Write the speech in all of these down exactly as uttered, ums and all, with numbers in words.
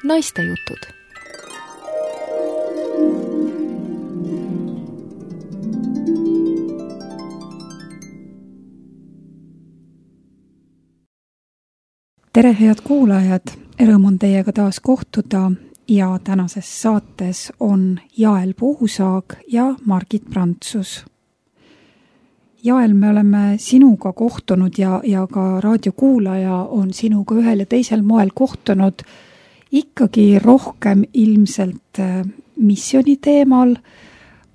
Naistejutud. Tere, head kuulajad! Rõõm on teiega taas kohtuda ja tänases saates on Jael Puusaag ja Margit Prantsus. Jael, me oleme sinuga kohtunud ja, ja ka raadiokuulaja on sinuga ühel ja teisel moel kohtunud ikkagi rohkem ilmselt missiooni teemal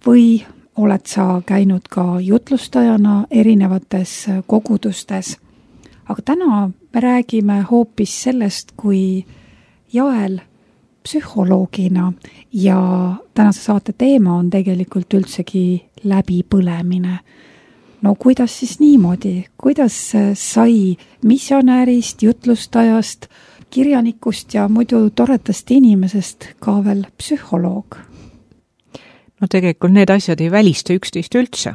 või oled sa käinud ka jutlustajana erinevates kogudustes. Aga täna me räägime hoopis sellest, kui Jael psühholoogina ja tänase saate teema on tegelikult üldsegi läbipõlemine. No kuidas siis niimoodi? Kuidas sai missionäärist, jutlustajast, kirjanikust ja muidu toredast inimesest ka veel psühholoog? No tegelikult need asjad ei välista üksteist üldse.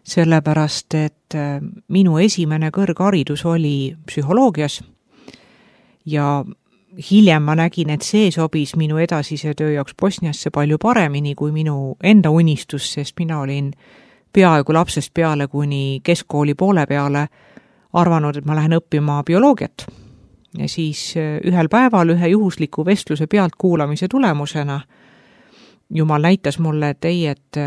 Sellepärast, et minu esimene kõrgharidus oli psühholoogias ja hiljem ma nägin, et see sobis minu edasise töö jaoks Bosniasse palju paremini kui minu enda unistus, sest mina olin peaaegu lapsest peale kuni keskkooli poole peale arvanud, et ma lähen õppima bioloogiat. Ja siis ühel päeval ühe juhusliku vestluse pealt kuulamise tulemusena Jumal näitas mulle, et ei, et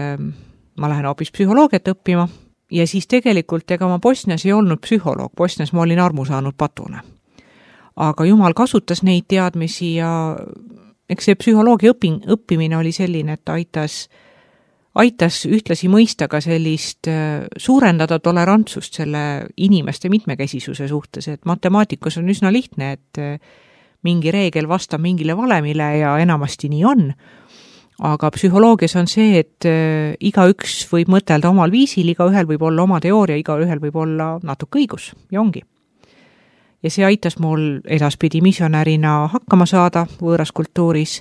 ma lähen hoopis psühholoogiat õppima ja siis tegelikult ega ma Bosnias ei olnud psühholoog, Bosnias ma olin armu saanud patune. Aga Jumal kasutas neid teadmisi ja eks see psühholoogia õping, õppimine oli selline, et aitas, aitas ühtlasi mõista ka sellist suurendada tolerantsust selle inimeste mitmekesisuse suhtes, et matemaatikas on üsna lihtne, et mingi reegel vastab mingile valemile ja enamasti nii on. Aga psühholoogias on see, et igaüks võib mõtelda omal viisil, igaühel võib olla oma teooria, igaühel võib olla natuke õigus ja ongi. Ja see aitas mul edaspidi missionärina hakkama saada võõras kultuuris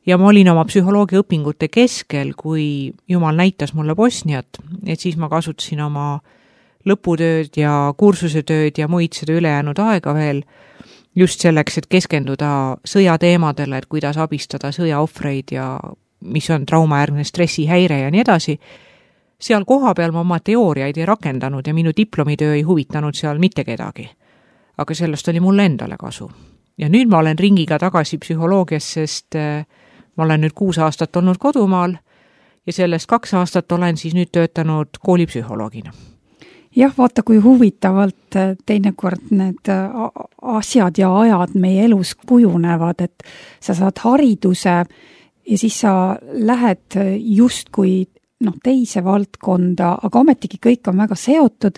ja ma olin oma psühholoogia õpingute keskel, kui Jumal näitas mulle Bosniat, et siis ma kasutasin oma lõputööd ja kursusetööd ja muid seda ülejäänud aega veel just selleks, et keskenduda sõjateemadele, et kuidas abistada sõjaohvreid ja mis on traumaäärne stressihäire ja nii edasi. Seal koha peal ma oma teooriaid ei rakendanud ja minu diplomitöö ei huvitanud seal mitte kedagi. Aga sellest oli mulle endale kasu. Ja nüüd ma olen ringiga tagasi psühholoogias, sest ma olen nüüd kuus aastat olnud kodumaal ja sellest kaks aastat olen siis nüüd töötanud koolipsühholoogina. Jah, vaata, kui huvitavalt teinekord need asjad ja ajad meie elus kujunevad, et sa saad hariduse ja siis sa lähed justkui noh, teise valdkonda, aga ometigi kõik on väga seotud.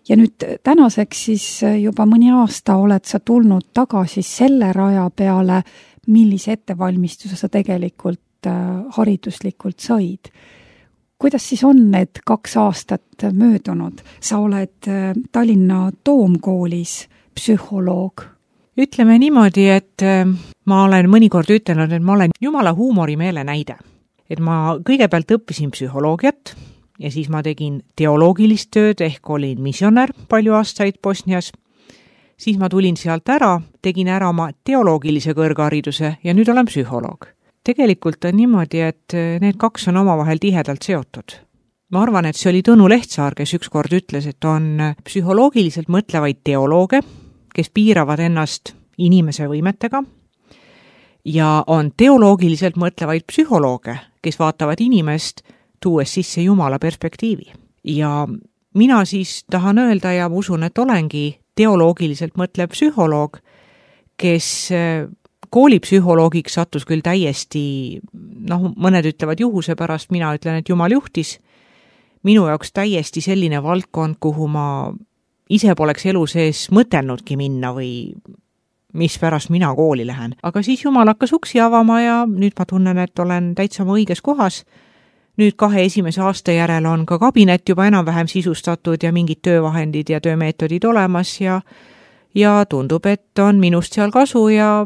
Ja nüüd tänaseks siis juba mõni aasta oled sa tulnud tagasi selle raja peale, millise ettevalmistuse sa tegelikult hariduslikult said. Kuidas siis on need kaks aastat möödunud? Sa oled Tallinna Toomkoolis psühholoog. Ütleme niimoodi, et ma olen mõnikord ütelnud, et ma olen Jumala huumorimeele näide. Et ma kõigepealt õppisin psühholoogiat ja siis ma tegin teoloogilist tööd ehk olin missionär palju aastaid Bosnias. Siis ma tulin sealt ära, tegin ära oma teoloogilise kõrghariduse ja nüüd olen psühholoog. Tegelikult on niimoodi, et need kaks on omavahel tihedalt seotud. Ma arvan, et see oli Tõnu Lehtsaar, kes ükskord ütles, et on psühholoogiliselt mõtlevaid teolooge, kes piiravad ennast inimese võimetega ja on teoloogiliselt mõtlevaid psühholooge, kes vaatavad inimest tuues sisse Jumala perspektiivi. Ja mina siis tahan öelda ja usun, et olengi teoloogiliselt mõtlev psühholoog, kes koolipsühholoogiks sattus küll täiesti, noh, mõned ütlevad juhuse pärast, mina ütlen, et Jumal juhtis. Minu jaoks täiesti selline valdkond, kuhu ma ise poleks elu sees mõtelnudki minna või mis pärast mina kooli lähen. Aga siis Jumal hakkas uksi avama ja nüüd ma tunnen, et olen täitsa oma õiges kohas. Nüüd kahe esimese aasta järel on ka kabinet juba enam-vähem sisustatud ja mingid töövahendid ja töömeetodid olemas ja, ja tundub, et on minust seal kasu ja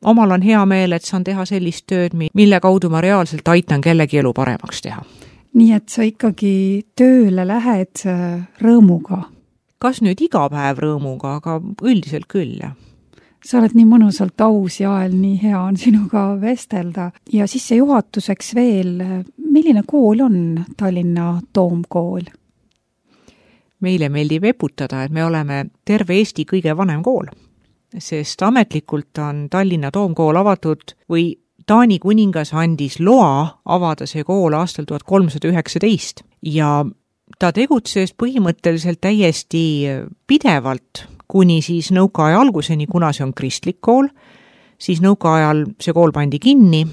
omal on hea meel, et saan teha sellist tööd, mille kaudu ma reaalselt aitan kellegi elu paremaks teha. Nii et sa ikkagi tööle lähed rõõmuga? Kas nüüd iga päev rõõmuga, aga üldiselt küll, jah. sa oled nii mõnusalt aus, Jael, nii hea on sinuga vestelda. Ja sissejuhatuseks veel, milline kool on Tallinna Toomkool? Meile meeldib eputada, et me oleme terve Eesti kõige vanem kool, sest ametlikult on Tallinna Toomkool avatud või Taani kuningas andis loa avada see kool aastal tuhat kolmsada üheksateist ja ta tegutses põhimõtteliselt täiesti pidevalt kuni siis nõukaaja alguseni, kuna see on kristlik kool, siis nõukaajal see kool pandi kinni,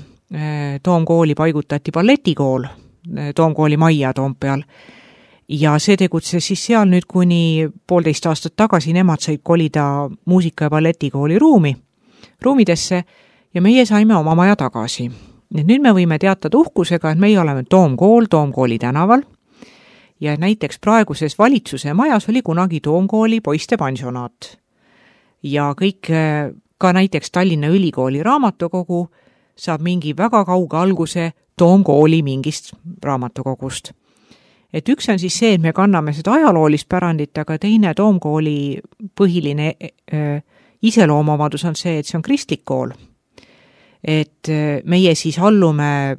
Toomkooli paigutati balletikool, Toomkooli majja Toompeal ja see tegutses siis seal nüüd kuni poolteist aastat tagasi, nemad said kolida muusika- ja balletikooli ruumi, ruumidesse ja meie saime oma maja tagasi. Nüüd me võime teatada uhkusega, et meie oleme Toomkool Toomkooli tänaval ja näiteks praeguses valitsuse majas oli kunagi Toomkooli poiste pensionaat. Ja kõik, ka näiteks Tallinna Ülikooli raamatukogu saab mingi väga kauge alguse Toomkooli mingist raamatukogust. Et üks on siis see, et me kanname seda ajaloolist pärandit, aga teine Toomkooli põhiline äh, iseloomuomadus on see, et see on kristlik kool. Et meie siis allume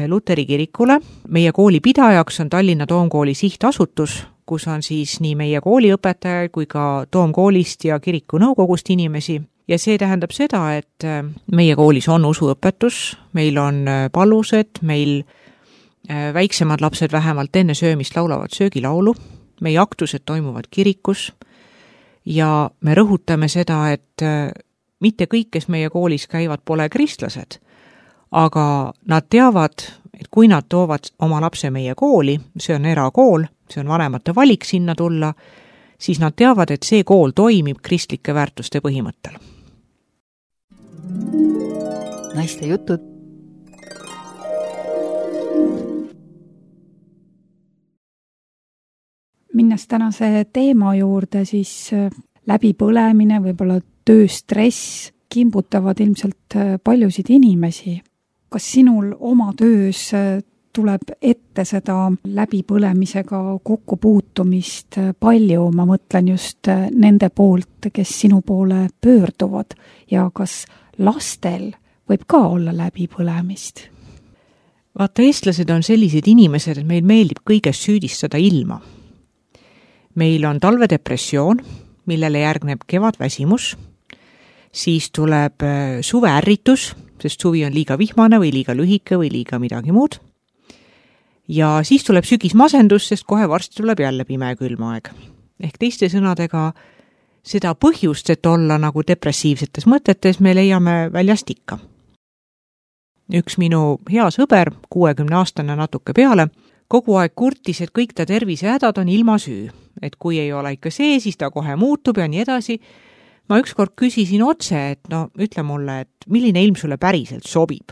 Luteri kirikule. Meie kooli pidajaks on Tallinna Toomkooli sihtasutus, kus on siis nii meie kooliõpetajaid kui ka Toomkoolist ja kiriku nõukogust inimesi. Ja see tähendab seda, et meie koolis on usuõpetus, meil on pallused, meil väiksemad lapsed vähemalt enne söömist laulavad söögilaulu, meie aktused toimuvad kirikus ja me rõhutame seda, et mitte kõik, kes meie koolis käivad, pole kristlased, aga nad teavad, et kui nad toovad oma lapse meie kooli, see on erakool, see on vanemate valik sinna tulla, siis nad teavad, et see kool toimib kristlike väärtuste põhimõttel. Naiste jutud. Minnes tänase teema juurde, siis läbipõlemine, võib-olla tööstress kimbutavad ilmselt paljusid inimesi. Kas sinul oma töös tuleb ette seda läbipõlemisega kokkupuutumist palju, ma mõtlen just nende poolt, kes sinu poole pöörduvad ja kas lastel võib ka olla läbipõlemist? Vaata, eestlased on sellised inimesed, et meil meeldib kõigest süüdistada ilma. Meil on talvedepressioon, millele järgneb kevadväsimus, siis tuleb suveärritus, sest suvi on liiga vihmane või liiga lühike või liiga midagi muud. Ja siis tuleb sügismasendus, sest kohe varsti tuleb jälle pime külmaeg. Ehk teiste sõnadega seda põhjust, et olla nagu depressiivsetes mõtetes, me leiame väljast ikka. Üks minu hea sõber, kuuekümne aastane natuke peale, kogu aeg kurtis, et kõik ta tervisehädad on ilma süü. Et kui ei ole ikka see, siis ta kohe muutub ja nii edasi. Ma ükskord küsisin otse, et no ütle mulle, et milline ilm sulle päriselt sobib.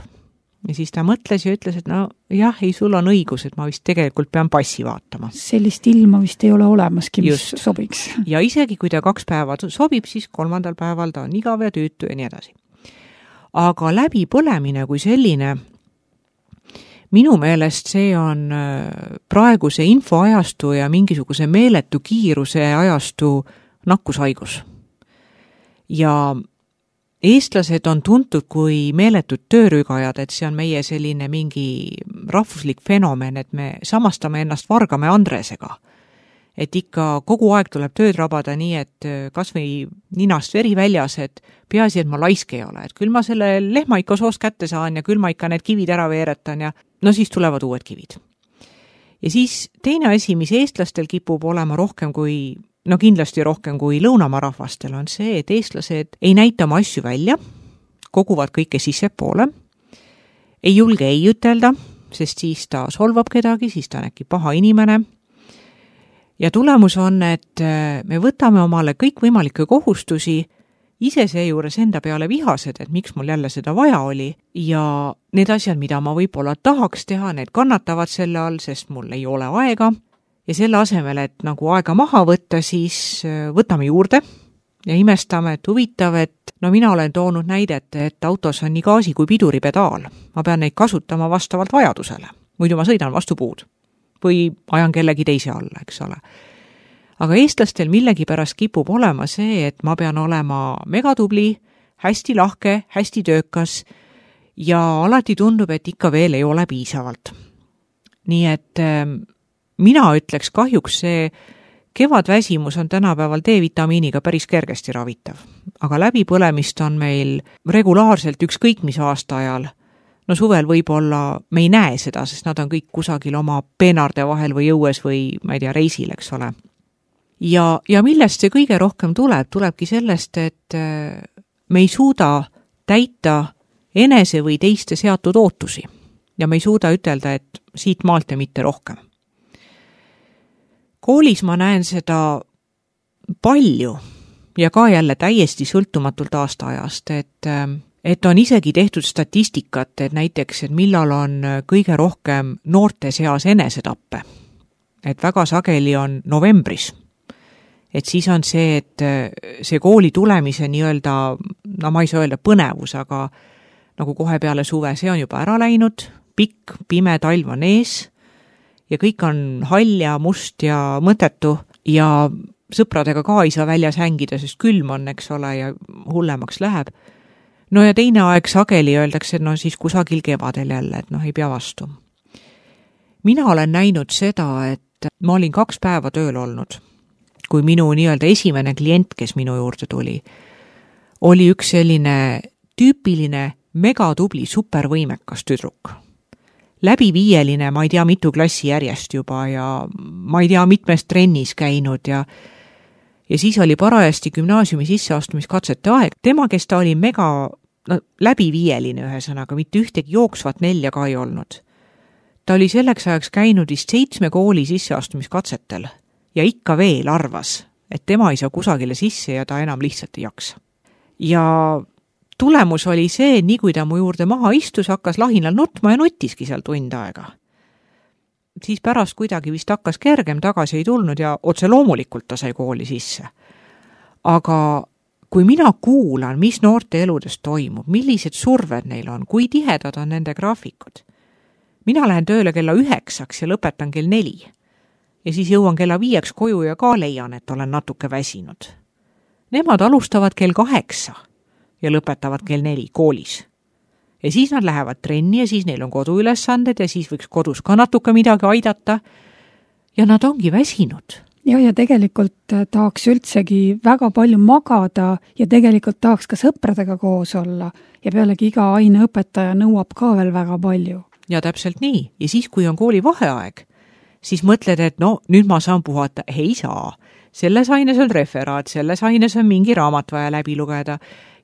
Ja siis ta mõtles ja ütles, et no jah, ei, sul on õigus, et ma vist tegelikult pean passi vaatama. Sellist ilma vist ei ole olemaski, mis Just. sobiks. Ja isegi kui ta kaks päeva sobib, siis kolmandal päeval ta on igav ja tüütu ja nii edasi. Aga läbipõlemine kui selline, minu meelest see on praeguse infoajastu ja mingisuguse meeletu kiiruse ajastu nakkushaigus. Ja eestlased on tuntud kui meeletud töörügajad, et see on meie selline mingi rahvuslik fenomen, et me samastame ennast Vargame Andresega. Et ikka kogu aeg tuleb tööd rabada nii, et kas või ninast veri väljas, et peaasi, et ma laisk ei ole, et küll ma selle lehma ikka soos kätte saan ja küll ma ikka need kivid ära veeretan ja no siis tulevad uued kivid. Ja siis teine asi, mis eestlastel kipub olema rohkem kui, no kindlasti rohkem kui lõunamaa rahvastel, on see, et eestlased ei näita oma asju välja, koguvad kõike sisse poole, ei julge ei ütelda, sest siis ta solvab kedagi, siis ta on äkki paha inimene. Ja tulemus on, et me võtame omale kõik võimalikke kohustusi, ise seejuures enda peale vihased, et miks mul jälle seda vaja oli ja need asjad, mida ma võib-olla tahaks teha, need kannatavad selle all, sest mul ei ole aega ja selle asemel, et nagu aega maha võtta, siis võtame juurde ja imestame, et huvitav, et no mina olen toonud näidet, et autos on nii gaasi kui piduripedaal. Ma pean neid kasutama vastavalt vajadusele, muidu ma sõidan vastu puud või ajan kellegi teise alla, eks ole. Aga eestlastel millegi pärast kipub olema see, et ma pean olema megatubli, hästi lahke, hästi töökas ja alati tundub, et ikka veel ei ole piisavalt. Nii et mina ütleks kahjuks see kevadväsimus on tänapäeval D-vitamiiniga päris kergesti ravitav, aga läbipõlemist on meil regulaarselt ükskõik mis aasta ajal. No suvel võib-olla me ei näe seda, sest nad on kõik kusagil oma peenarde vahel või õues või, ma ei tea, reisil, eks ole. Ja, ja millest see kõige rohkem tuleb? Tulebki sellest, et me ei suuda täita enese või teiste seatud ootusi ja me ei suuda ütelda, et siit maalt ja mitte rohkem. Koolis ma näen seda palju ja ka jälle täiesti sõltumatult aastaajast, et, et on isegi tehtud statistikat, et näiteks, et millal on kõige rohkem noorte seas enesetappe. Et väga sageli on novembris. Et siis on see, et see kooli tulemise nii-öelda, no ma ei saa öelda põnevus, aga nagu kohe peale suve, see on juba ära läinud, pikk, pime talv on ees ja kõik on hall ja must ja mõttetu ja sõpradega ka ei saa väljas hängida, sest külm on, eks ole, ja hullemaks läheb. No ja teine aeg sageli öeldakse, et no siis kusagil kevadel jälle, et noh, ei pea vastu. Mina olen näinud seda, et ma olin kaks päeva tööl olnud, kui minu nii-öelda esimene klient, kes minu juurde tuli, oli üks selline tüüpiline megatubli supervõimekas tüdruk. Läbiviieline, ma ei tea mitu klassi järjest juba ja ma ei tea mitmes trennis käinud ja ja siis oli parajasti gümnaasiumi sisseastumiskatsete aeg. Tema, kes ta oli mega no, läbiviieline ühesõnaga, mitte ühtegi jooksvat nelja ka ei olnud. Ta oli selleks ajaks käinud vist seitsme kooli sisseastumiskatsetel ja ikka veel arvas, et tema ei saa kusagile sisse ja ta enam lihtsalt ei jaksa. Ja tulemus oli see, nii kui ta mu juurde maha istus, hakkas lahinal nutma ja nutiski seal tund aega. Siis pärast kuidagi vist hakkas kergem, tagasi ei tulnud ja otse loomulikult ta sai kooli sisse. Aga kui mina kuulan, mis noorte eludes toimub, millised surved neil on, kui tihedad on nende graafikud. Mina lähen tööle kella üheksaks ja lõpetan kell neli. Ja siis jõuan kella viieks koju ja ka leian, et olen natuke väsinud. Nemad alustavad kell kaheksa ja lõpetavad kell neli koolis. Ja siis nad lähevad trenni ja siis neil on koduülesanded ja siis võiks kodus ka natuke midagi aidata. Ja nad ongi väsinud. Ja, ja tegelikult tahaks üldsegi väga palju magada ja tegelikult tahaks ka sõpradega koos olla. Ja pealegi iga aineõpetaja nõuab ka veel väga palju. Ja täpselt nii. Ja siis, kui on kooli vaheaeg, siis mõtled, et no, nüüd ma saan puhata. Ei saa. Selles aines on referaat, selles aines on mingi raamat vaja läbi lugeda.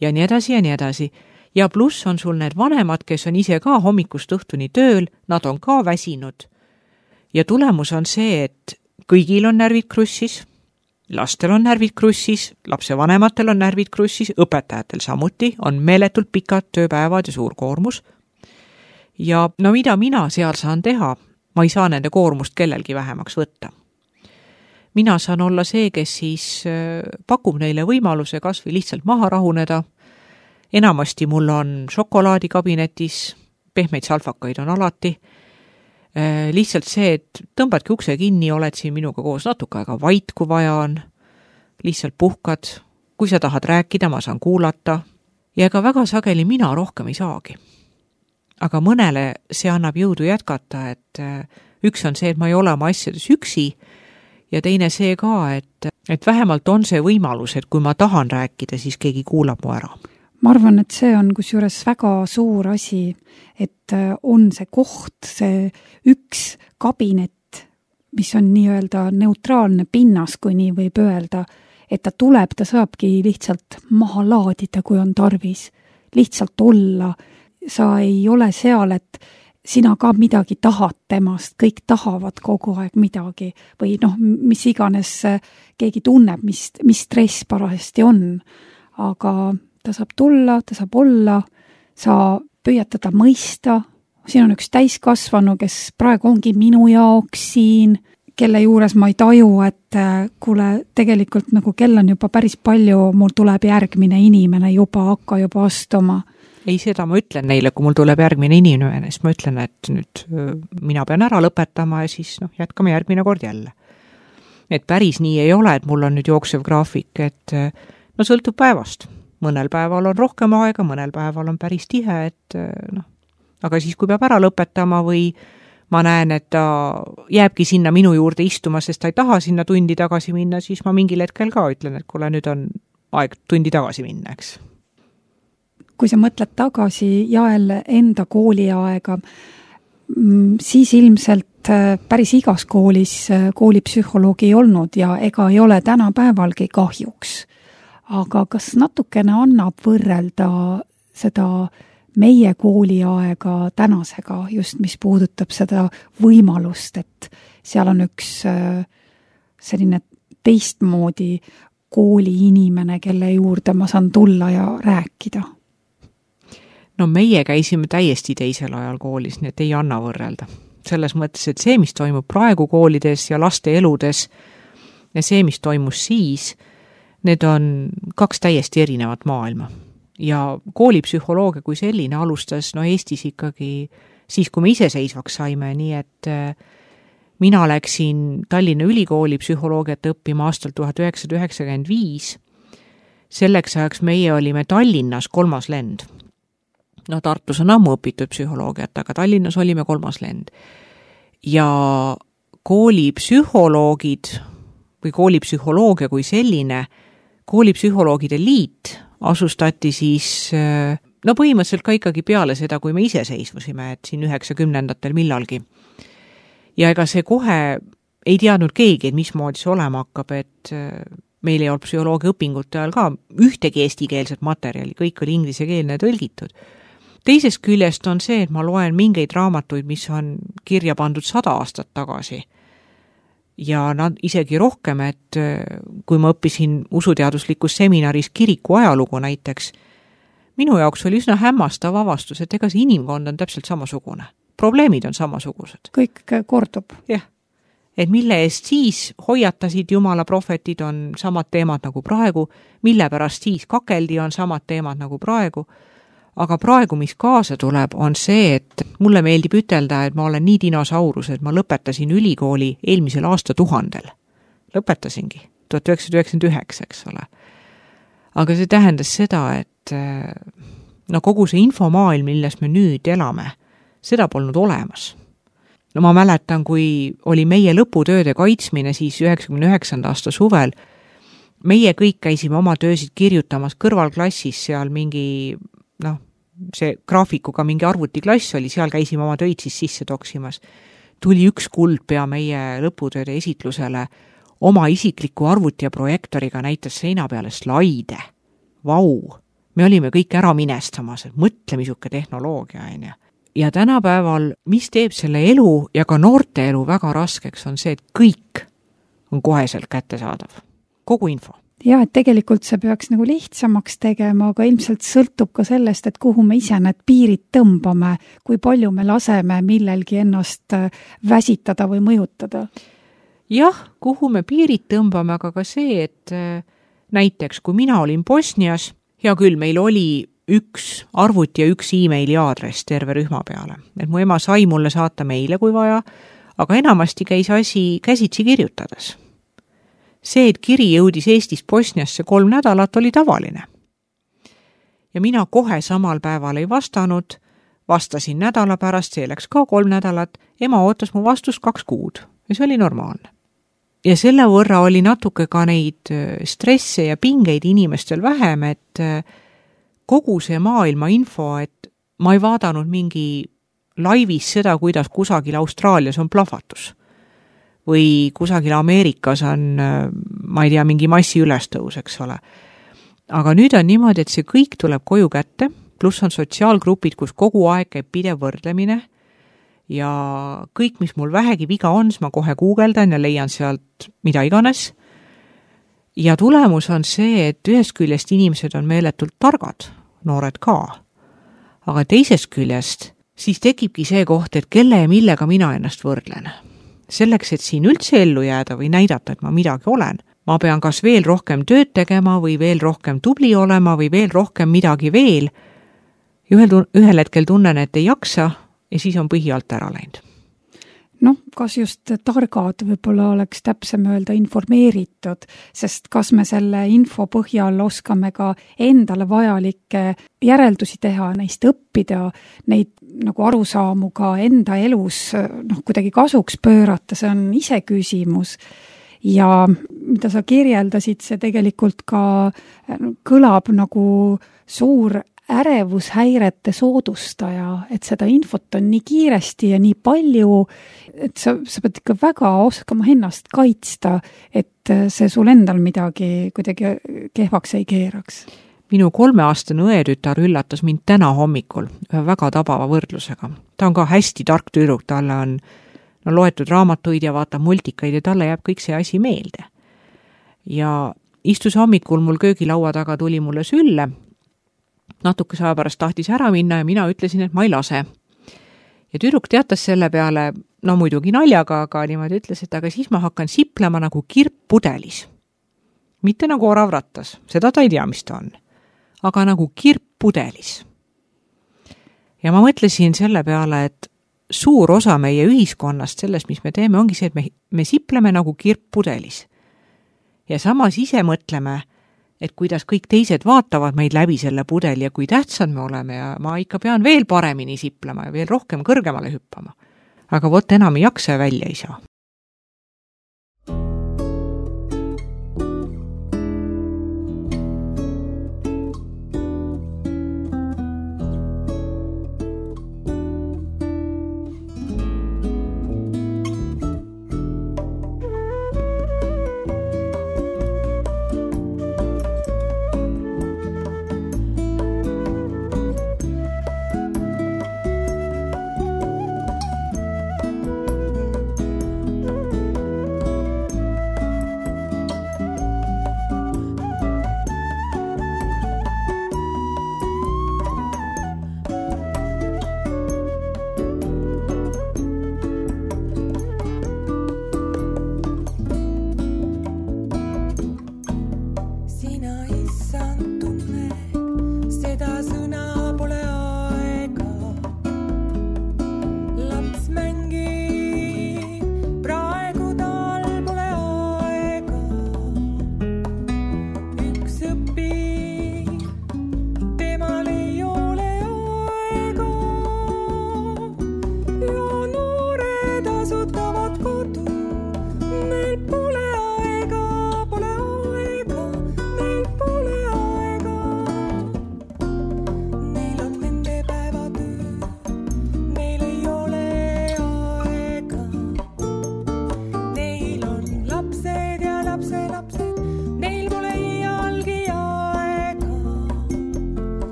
Ja nii edasi ja nii edasi. Ja pluss on sul need vanemad, kes on ise ka hommikust õhtuni tööl, nad on ka väsinud. Ja tulemus on see, et kõigil on närvid krussis, lastel on närvid krussis, lapse vanematel on närvid krussis, õpetajatel samuti, on meeletult pikad tööpäevad ja suur koormus. Ja no mida mina seal saan teha, ma ei saa nende koormust kellelgi vähemaks võtta. Mina saan olla see, kes siis pakub neile võimaluse kas või lihtsalt maha rahuneda. Enamasti mul on šokolaadikabinetis, pehmeid salfakaid on alati. Lihtsalt see, et tõmbadki ukse kinni, oled siin minuga koos natuke aega vait, kui vaja on. Lihtsalt puhkad. Kui sa tahad rääkida, ma saan kuulata. Ja ega väga sageli mina rohkem ei saagi. Aga mõnele see annab jõudu jätkata, et üks on see, et ma ei ole oma asjades üksi ja teine see ka, et, et vähemalt on see võimalus, et kui ma tahan rääkida, siis keegi kuulab mu ära. Ma arvan, et see on kusjuures väga suur asi, et on see koht, see üks kabinet, mis on nii-öelda neutraalne pinnas, kui nii võib öelda, et ta tuleb, ta saabki lihtsalt maha laadida, kui on tarvis. Lihtsalt olla. Sa ei ole seal, et sina ka midagi tahad temast, kõik tahavad kogu aeg midagi või noh, mis iganes keegi tunneb, mis, mis stress parajasti on. Aga ta saab tulla, ta saab olla, sa püüad teda mõista. Siin on üks täiskasvanu, kes praegu ongi minu jaoks siin, kelle juures ma ei taju, et kuule, tegelikult nagu kell on juba päris palju, mul tuleb järgmine inimene juba, hakka juba astuma. Ei, seda ma ütlen neile, kui mul tuleb järgmine inimene, siis ma ütlen, et nüüd mina pean ära lõpetama ja siis noh, jätkame järgmine kord jälle. Et päris nii ei ole, et mul on nüüd jooksev graafik, et no sõltub päevast. mõnel päeval on rohkem aega, mõnel päeval on päris tihe, et noh, aga siis, kui peab ära lõpetama või ma näen, et ta jääbki sinna minu juurde istuma, sest ta ei taha sinna tundi tagasi minna, siis ma mingil hetkel ka ütlen, et kuule, nüüd on aeg tundi tagasi minna, eks. Kui sa mõtled tagasi Jael enda kooliaega, siis ilmselt päris igas koolis koolipsühholoogi ei olnud ja ega ei ole tänapäevalgi kahjuks. Aga kas natukene annab võrrelda seda meie kooliaega tänasega, just mis puudutab seda võimalust, et seal on üks selline teistmoodi kooliinimene, kelle juurde ma saan tulla ja rääkida? No meie käisime täiesti teisel ajal koolis, nii et ei anna võrrelda. Selles mõttes, et see, mis toimub praegu koolides ja laste eludes ja see, mis toimus siis, need on kaks täiesti erinevat maailma. Ja koolipsühholoogia kui selline alustas no Eestis ikkagi siis, kui me iseseisvaks saime, nii et mina läksin Tallinna Ülikooli psühholoogiat õppima aastal tuhat üheksasada üheksakümmend viis. Selleks ajaks meie olime Tallinnas kolmas lend. No Tartus on ammu õpitud psühholoogiat, aga Tallinnas olime kolmas lend. Ja koolipsühholoogid või koolipsühholoogia kui selline, koolipsühholoogide liit asustati siis, no põhimõtteliselt ka ikkagi peale seda, kui me iseseisvusime, et siin üheksakümnendatel millalgi. Ja ega see kohe ei teadnud keegi, et mismoodi see olema hakkab, et meil ei olnud psühholoogia õpingute ajal ka ühtegi eestikeelset materjali, kõik oli inglisekeelne tõlgitud. Teisest küljest on see, et ma loen mingeid raamatuid, mis on kirja pandud sada aastat tagasi. Ja nad isegi rohkem, et kui ma õppisin usuteaduslikus seminaris kiriku ajalugu näiteks, minu jaoks oli üsna hämmastav avastus, et ega see inimkond on täpselt samasugune. Probleemid on samasugused. Kõik kordub. Jah. Et mille eest siis hoiatasid Jumala prohvetid on samad teemad nagu praegu, mille pärast siis kakeldi on samad teemad nagu praegu. Aga praegu, mis kaasa tuleb, on see, et mulle meeldib ütelda, et ma olen nii dinosaurus, et ma lõpetasin ülikooli eelmisel aasta tuhandel. Lõpetasingi, tuhat üheksasada üheksakümmend üheksa, eks ole. Aga see tähendas seda, et no kogu see infomaailm, milles me nüüd elame, seda polnud olemas. No ma mäletan, kui oli meie lõputööde kaitsmine siis üheksakümne üheksanda aasta suvel, meie kõik käisime oma töösid kirjutamas kõrvalklassis seal mingi, noh, see graafikuga mingi arvutiklass oli, seal käisime oma töid siis sisse toksimas. Tuli üks kuldpea meie lõputööde esitlusele oma isikliku arvuti ja projektoriga näitas seina peale slaide. Vau! Me olime kõik ära minestamas, et mõtle misuke tehnoloogia. On ja. ja tänapäeval, mis teeb selle elu ja ka noorte elu väga raskeks, on see, et kõik on koheselt kättesaadav. Kogu info. Ja, et tegelikult see peaks nagu lihtsamaks tegema, aga ilmselt sõltub ka sellest, et kuhu me ise need piirid tõmbame, kui palju me laseme millelgi ennast väsitada või mõjutada. Jah, kuhu me piirid tõmbame, aga ka see, et näiteks kui mina olin Bosnias, hea küll, meil oli üks arvuti ja üks e-maili aadress terve rühma peale. Et mu ema sai mulle saata meile kui vaja, aga enamasti käis asi käsitsi kirjutades. See, et kiri jõudis Eestist Bosniasse kolm nädalat, oli tavaline. Ja mina kohe samal päeval ei vastanud, vastasin nädala pärast, see läks ka kolm nädalat, ema ootas mu vastust kaks kuud ja see oli normaalne. Ja selle võrra oli natuke ka neid stresse ja pingeid inimestel vähem, et kogu see maailma info, et ma ei vaadanud mingi laivis seda, kuidas kusagil Austraalias on plahvatus. Või kusagil Ameerikas on, ma ei tea, mingi massi ülestõus, eks ole. Aga nüüd on niimoodi, et see kõik tuleb koju kätte, pluss on sotsiaalgrupid, kus kogu aeg käib pidev võrdlemine ja kõik, mis mul vähegi viga on, ma kohe guugeldan ja leian sealt mida iganes. Ja tulemus on see, et ühest küljest inimesed on meeletult targad, noored ka, aga teisest küljest siis tekibki see koht, et kelle ja millega mina ennast võrdlen. Selleks, et siin üldse ellu jääda või näidata, et ma midagi olen, ma pean kas veel rohkem tööd tegema või veel rohkem tubli olema või veel rohkem midagi veel. Ühel, ühel hetkel tunnen, et ei jaksa ja siis on põhi alt ära läinud. noh, kas just targad, võib-olla oleks täpsem öelda informeeritud, sest kas me selle info põhjal oskame ka endale vajalikke järeldusi teha, neist õppida, neid nagu arusaamu ka enda elus noh, kuidagi kasuks pöörata, see on ise küsimus. Ja mida sa kirjeldasid, see tegelikult ka kõlab nagu suur ärevushäirete soodustaja, et seda infot on nii kiiresti ja nii palju, et sa, sa pead ikka väga oskama ennast kaitsta, et see sul endal midagi kuidagi kehvaks ei keeraks. Minu kolmeaastane õetütar üllatas mind täna hommikul ühe väga tabava võrdlusega. Ta on ka hästi tark tüdruk, talle on no, loetud raamatuid ja vaatab multikaid ja talle jääb kõik see asi meelde. Ja istus hommikul mul köögilaua taga, tuli mulle sülle, natuke aja pärast tahtis ära minna ja mina ütlesin, et ma ei lase. Ja tüdruk teatas selle peale, no muidugi naljaga, aga niimoodi ütles, et aga siis ma hakkan siplema nagu kirp pudelis. Mitte nagu oravrattas, seda ta ei tea, mis ta on, aga nagu kirp pudelis. Ja ma mõtlesin selle peale, et suur osa meie ühiskonnast sellest, mis me teeme, ongi see, et me, me sipleme nagu kirp pudelis. Ja samas ise mõtleme, et kuidas kõik teised vaatavad meid läbi selle pudeli ja kui tähtsad me oleme ja ma ikka pean veel paremini siplema ja veel rohkem kõrgemale hüppama. Aga vot enam ei jaksa ja välja ei saa.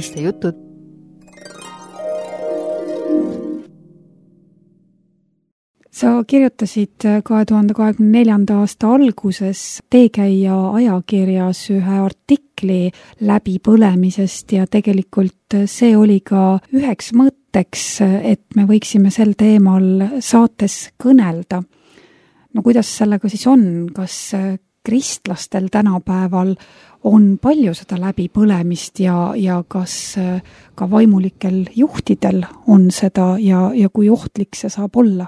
naiste jutud. Sa kirjutasid kahe tuhande kahekümne neljanda aasta alguses Teekäija ajakirjas ühe artikli läbipõlemisest ja tegelikult see oli ka üheks mõtteks, et me võiksime sel teemal saates kõnelda. No kuidas sellega siis on? Kas kristlastel tänapäeval on palju seda läbipõlemist ja, ja kas ka vaimulikel juhtidel on seda ja, ja kui ohtlik see saab olla?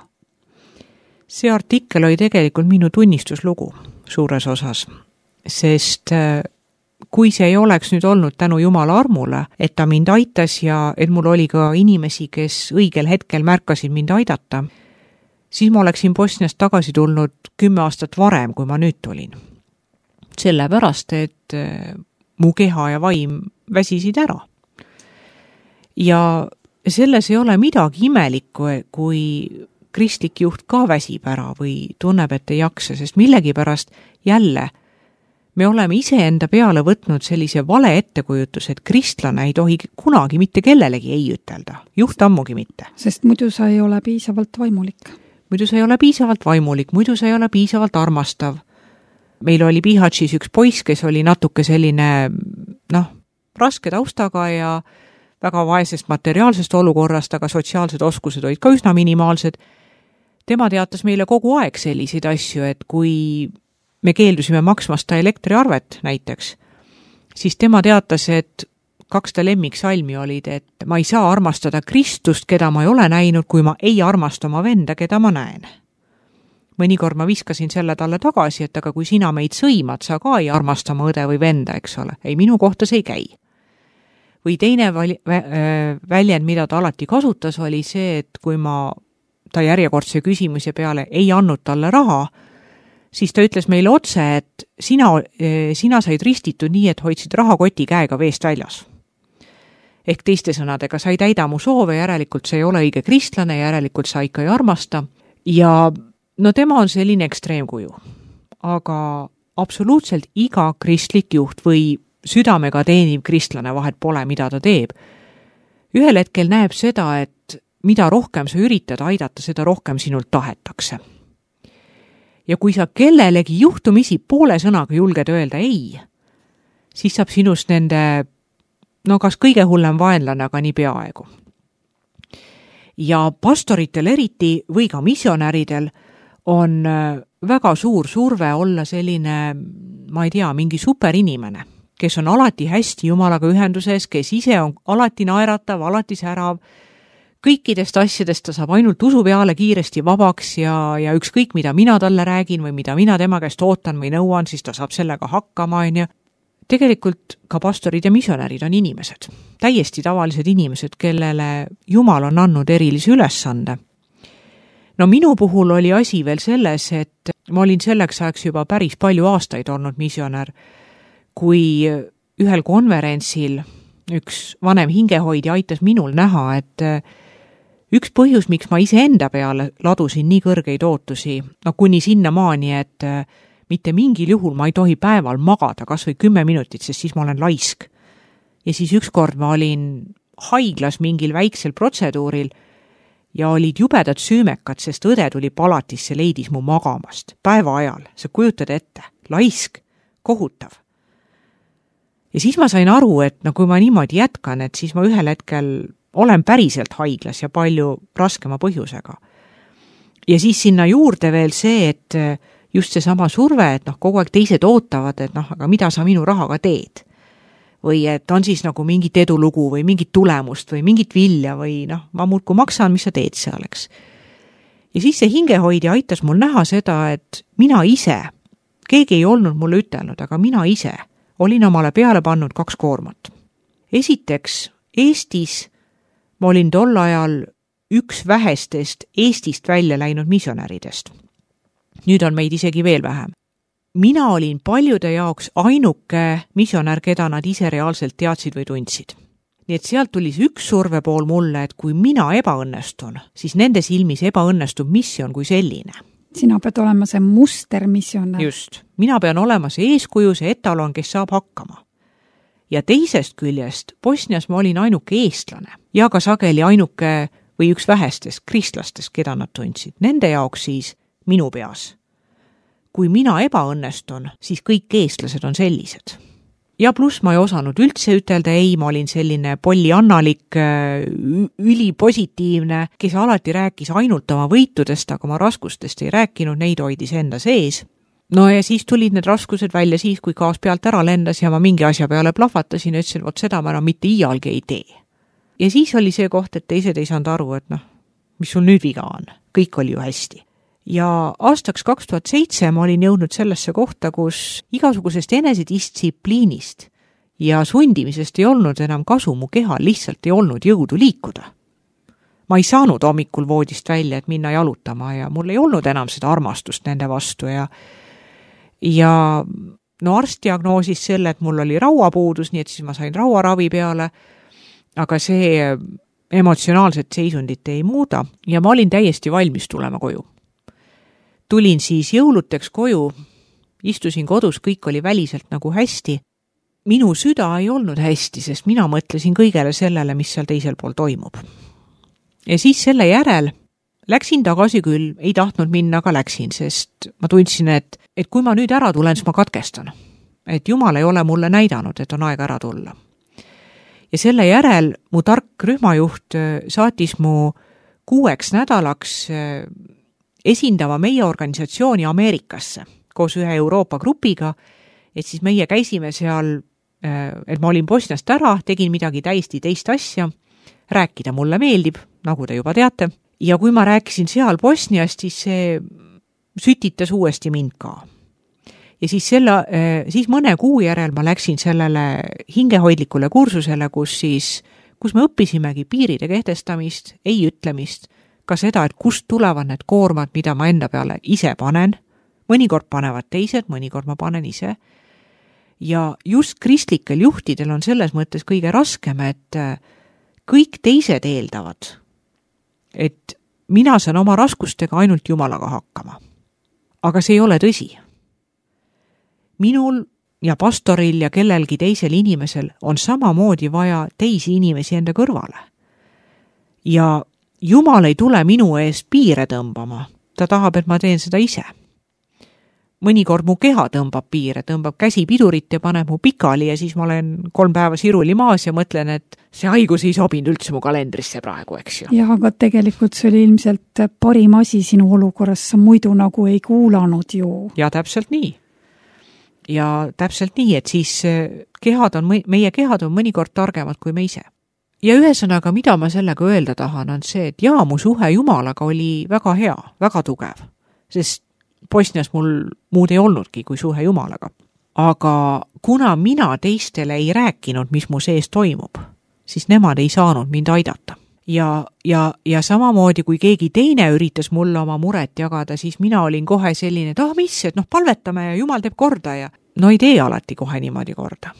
See artikkel oli tegelikult minu tunnistuslugu suures osas, sest kui see ei oleks nüüd olnud tänu Jumala armule, et ta mind aitas ja et mul oli ka inimesi, kes õigel hetkel märkasid mind aidata, siis ma oleksin Bosniast tagasi tulnud kümme aastat varem, kui ma nüüd tulin. Sellepärast, et mu keha ja vaim väsisid ära. Ja selles ei ole midagi imelikku, kui kristlik juht ka väsib ära või tunneb, et ei jaksa, sest millegipärast jälle me oleme iseenda peale võtnud sellise vale ettekujutus, et kristlane ei tohi kunagi mitte kellelegi ei ütelda, juht ammugi mitte. Sest muidu sa ei ole piisavalt vaimulik. Muidu sa ei ole piisavalt vaimulik, muidu sa ei ole piisavalt armastav. Meil oli Bihatšis üks poiss, kes oli natuke selline, noh, raske taustaga ja väga vaesest materiaalsest olukorrast, aga sotsiaalsed oskused olid ka üsna minimaalsed. Tema teatas meile kogu aeg selliseid asju, et kui me keeldusime maksmasta elektriarvet näiteks, siis tema teatas, et kaks ta lemmiksalmi olid, et ma ei saa armastada Kristust, keda ma ei ole näinud, kui ma ei armasta oma venda, keda ma näen. Mõnikord ma viskasin selle talle tagasi, et aga kui sina meid sõimad, sa ka ei armasta oma õde või venda, eks ole. Ei, minu kohta see ei käi. Või teine väljend, mida ta alati kasutas, oli see, et kui ma ta järjekordse küsimuse peale ei andnud talle raha, siis ta ütles meile otse, et sina, sina said ristitud nii, et hoidsid rahakoti käega veest väljas. Ehk teiste sõnadega, sa ei täida mu soove, järelikult see ei ole õige kristlane, järelikult sa ikka ei armasta. Ja no tema on selline ekstreemkuju. Aga absoluutselt iga kristlik juht või südamega teeniv kristlane, vahet pole, mida ta teeb. Ühel hetkel näeb seda, et mida rohkem sa üritad aidata, seda rohkem sinult tahetakse. Ja kui sa kellelegi juhtumisi poole sõnaga julged öelda ei, siis saab sinust nende, no kas kõige hullem vaenlane, aga nii peaaegu. Ja pastoritel eriti või ka missionäridel on väga suur surve olla selline, ma ei tea, mingi superinimene, kes on alati hästi Jumalaga ühenduses, kes ise on alati naeratav, alati särav, kõikidest asjadest ta saab ainult usu peale kiiresti vabaks ja, ja ükskõik, mida mina talle räägin või mida mina tema käest ootan või nõuan, siis ta saab sellega hakkama. Ja tegelikult ka pastorid ja missionärid on inimesed, täiesti tavalised inimesed, kellele Jumal on andnud erilise ülesande. No minu puhul oli asi veel selles, et ma olin selleks ajaks juba päris palju aastaid olnud missionär, kui ühel konverentsil üks vanem hingehoidja aitas minul näha, et üks põhjus, miks ma ise enda peale ladusin nii kõrgeid ootusi, no kuni sinna maani, et mitte mingil juhul ma ei tohi päeval magada kas või kümme minutit, sest siis ma olen laisk. Ja siis ükskord ma olin haiglas mingil väiksel protseduuril ja olid jubedad süümekad, sest õde tuli palatisse, leidis mu magamast päeva ajal. Sa kujutad ette, laisk, kohutav. Ja siis ma sain aru, et no kui ma niimoodi jätkan, et siis ma ühel hetkel olen päriselt haiglas ja palju raskema põhjusega. Ja siis sinna juurde veel see, et just see sama surve, et noh, kogu aeg teised ootavad, et noh, aga mida sa minu rahaga teed? Või et on siis nagu mingit edulugu või mingit tulemust või mingit vilja või noh, ma muudku maksan, mis sa teed seal, eks. Ja siis see hingehoidja aitas mul näha seda, et mina ise, keegi ei olnud mulle ütelnud, aga mina ise olin omale peale pannud kaks koormat. Esiteks, Eestis ma olin tol ajal üks vähestest Eestist välja läinud missionäridest. Nüüd on meid isegi veel vähem. Mina olin paljude jaoks ainuke missionär, keda nad ise reaalselt teadsid või tundsid. Nii et sealt tuli üks surve pool mulle, et kui mina ebaõnnestun, siis nende silmis ebaõnnestub missioon kui selline. Sina pead olema see mustermissionär. Just. Mina pean olema see eeskuju, see etalon, kes saab hakkama. Ja teisest küljest Bosnias ma olin ainuke eestlane ja ka sageli ainuke või üks vähestest kristlastest, keda nad tundsid. Nende jaoks siis minu peas. Kui mina ebaõnnestun, siis kõik eestlased on sellised. Ja pluss ma ei osanud üldse ütelda ei, ma olin selline polliannalik, ülipositiivne, kes alati rääkis ainult oma võitudest, aga oma raskustest ei rääkinud, neid hoidis enda sees. No ja siis tulid need raskused välja siis, kui gaas pealt ära lendas ja ma mingi asja peale plahvatasin ja ütlesin, vot seda ma enam mitte iialgi ei tee. Ja siis oli see koht, et teised ei saanud aru, et noh, mis sul nüüd viga on, kõik oli ju hästi. Ja aastaks kaks tuhat seitse ma olin jõudnud sellesse kohta, kus igasugusest enesedistsipliinist ja sundimisest ei olnud enam kasu, mu kehal lihtsalt ei olnud jõudu liikuda. ma ei saanud hommikul voodist välja, et minna jalutama ja mul ei olnud enam seda armastust nende vastu ja ja no arst diagnoosis selle, et mul oli rauapuudus, nii et siis ma sain rauaravi peale, aga see emotsionaalset seisundit ei muuda ja ma olin täiesti valmis tulema koju. Tulin siis jõuluteks koju, istusin kodus, kõik oli väliselt nagu hästi. Minu süda ei olnud hästi, sest mina mõtlesin kõigele sellele, mis seal teisel pool toimub. Ja siis selle järel läksin tagasi küll, ei tahtnud minna, aga läksin, sest ma tundsin, et, et kui ma nüüd ära tulen, siis ma katkestan. Et Jumal ei ole mulle näidanud, et on aeg ära tulla. Ja selle järel mu tark rühmajuht saatis mu kuueks nädalaks esindama meie organisatsiooni Ameerikasse koos ühe Euroopa grupiga, et siis meie käisime seal, et ma olin Bosniast ära, tegin midagi täiesti teist asja, rääkida mulle meeldib, nagu te juba teate, ja kui ma rääkisin seal Bosniast, siis see sütitas uuesti mind ka. Ja siis, selle, siis mõne kuu järel ma läksin sellele hingehoidlikule kursusele, kus, siis, kus me õppisimegi piiride kehtestamist, ei ütlemist, ka seda, et kust tulevad need koormad, mida ma enda peale ise panen, mõnikord panevad teised, mõnikord ma panen ise. Ja just kristlikel juhtidel on selles mõttes kõige raskem, et kõik teised eeldavad, et mina saan oma raskustega ainult Jumalaga hakkama. Aga see ei ole tõsi. Minul ja pastoril ja kellelgi teisel inimesel on samamoodi vaja teisi inimesi enda kõrvale. Ja Jumal ei tule minu eest piire tõmbama. Ta tahab, et ma teen seda ise. Mõnikord mu keha tõmbab piire, tõmbab käsi pidurit ja paneb mu pikali ja siis ma olen kolm päeva siruli maas ja mõtlen, et see haigus ei sobinud üldse mu kalendrisse praegu, eks ju. Jah, aga tegelikult see oli ilmselt parim asi sinu olukorras, sa muidu nagu ei kuulanud ju. Ja täpselt nii. Ja täpselt nii, et siis kehad on, meie kehad on mõnikord targemad kui me ise. Ja ühesõnaga, mida ma sellega öelda tahan, on see, et jaa, mu suhe Jumalaga oli väga hea, väga tugev, sest Bosnias mul muud ei olnudki kui suhe Jumalaga. Aga kuna mina teistele ei rääkinud, mis mu sees toimub, siis nemad ei saanud mind aidata. Ja, ja, ja samamoodi, kui keegi teine üritas mulle oma muret jagada, siis mina olin kohe selline, et ah, mis, et noh, palvetame ja Jumal teeb korda ja no ei tee alati kohe niimoodi korda.